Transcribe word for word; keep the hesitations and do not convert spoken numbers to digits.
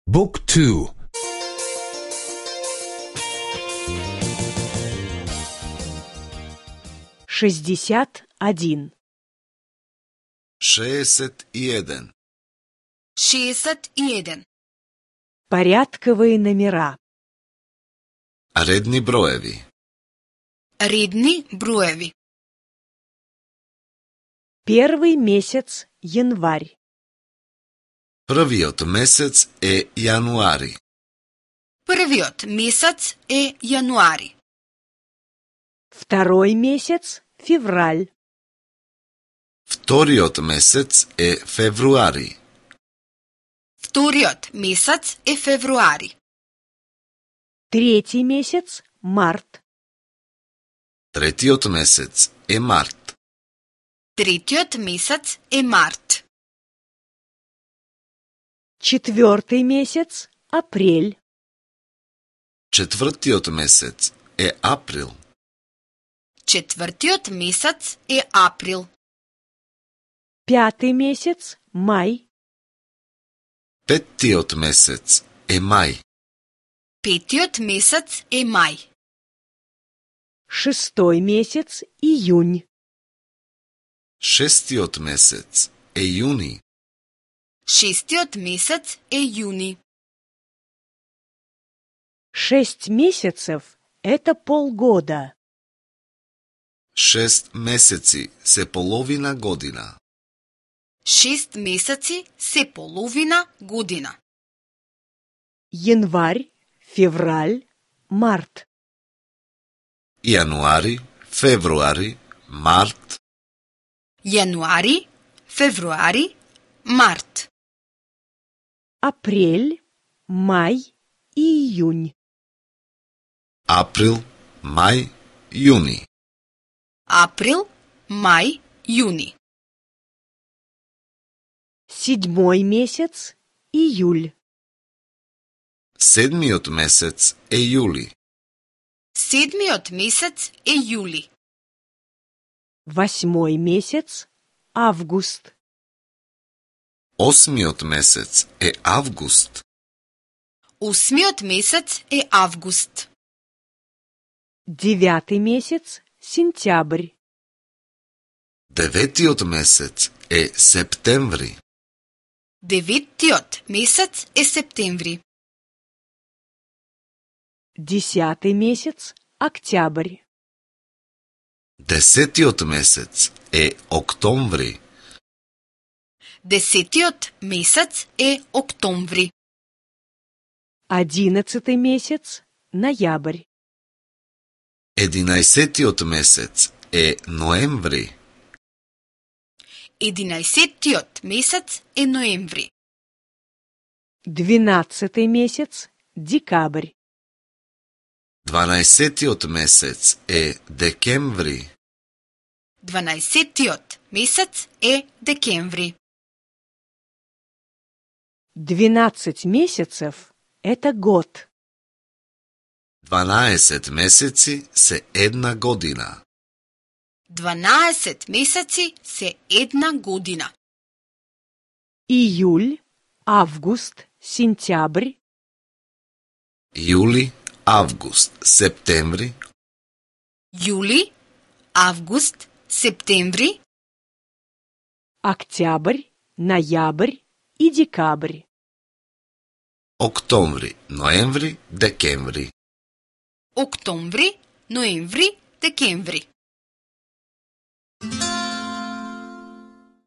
Book two. шестьдесят один. шеесет и еден. шеесет и еден. Порядковые номера. Редни броеви. Редни броеви. Первый месяц – январь. Првиот месец е јануари. Првиот месец е јануари. Второй месяц – февраль. Вториот месец е февруари. Вториот месец е февруари. Третий месяц – март. Третиот месец е март. Третиот месец е март. Четвертый месяц – апрель. Четвртиот месец е април. Четвртиот месец е април. Пятый месяц – май. Петтиот месец е мај. Петиот месец е мај. Шестой месяц – июнь. Шестиот месец е јуни. Шестиот месец е јуни. Шесть месяцев – это полгода. Шест месеци се половина година. Шест месеци се половина година. Январь, февраль, март. Јануари, февруари, март. Јануари, февруари, март. Апрель, май и июнь. Април, мај, јуни. Април, мај, јуни. Седьмой месяц – июль. Седмиот месец е јули. Седмиот месец е јули. Восьмой месяц – август. Осмиот месец е август. Осмиот месец е август. Девятый месяц – сентябрь. Деветиот месец е септември. Деветиот месец е септември. Десятый месяц – октябрь. Десетиот месец е октомври. Десетиот месец е октомври. Одиннадцатый месяц – ноябрь. Единаесеттиот месец е ноември. Единаесеттиот месец е ноември. Двенадцатый месяц – декабрь. Дванаесеттиот месец е декември. Дванаесеттиот месец е декември. Двенадцать месяцев – это год. Дванаесет месеци се една година. Дванаесет месеци се една година. Июль, август, сентябрь. Јули, август, септември. Јули, август, септември. Октябрь, ноябрь и декабрь. Октомври, ноември, декември. Октомври, ноември, декември.